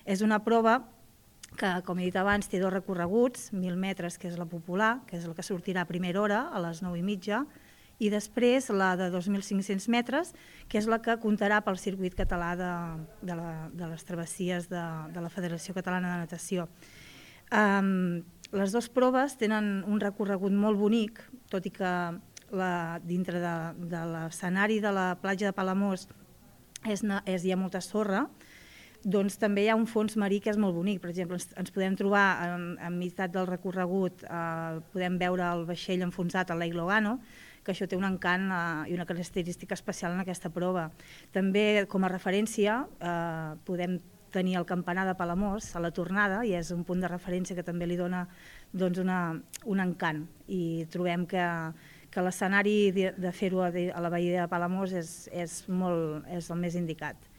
És una prova que, com he dit abans, té 2 recorreguts, 1.000 metres, que és la popular, que és la que sortirà a primera hora, a les 9:30, i després la de 2.500 metres, que és la que comptarà pel circuit català de les travessies de la Federació Catalana de Natació. Les 2 proves tenen un recorregut molt bonic, tot i que dintre de l'escenari de la platja de Palamós hi ha molta sorra, doncs també hi ha un fons marí que és molt bonic. Per exemple, ens podem trobar en meitat del recorregut, podem veure el vaixell enfonsat al Lake Logano, que això té un encant i una característica especial en aquesta prova. També, com a referència, podem tenir el campanar de Palamós a la tornada, i és un punt de referència que també li dona un encant. I trobem que l'escenari de fer-ho a la bahia de Palamós és el més indicat.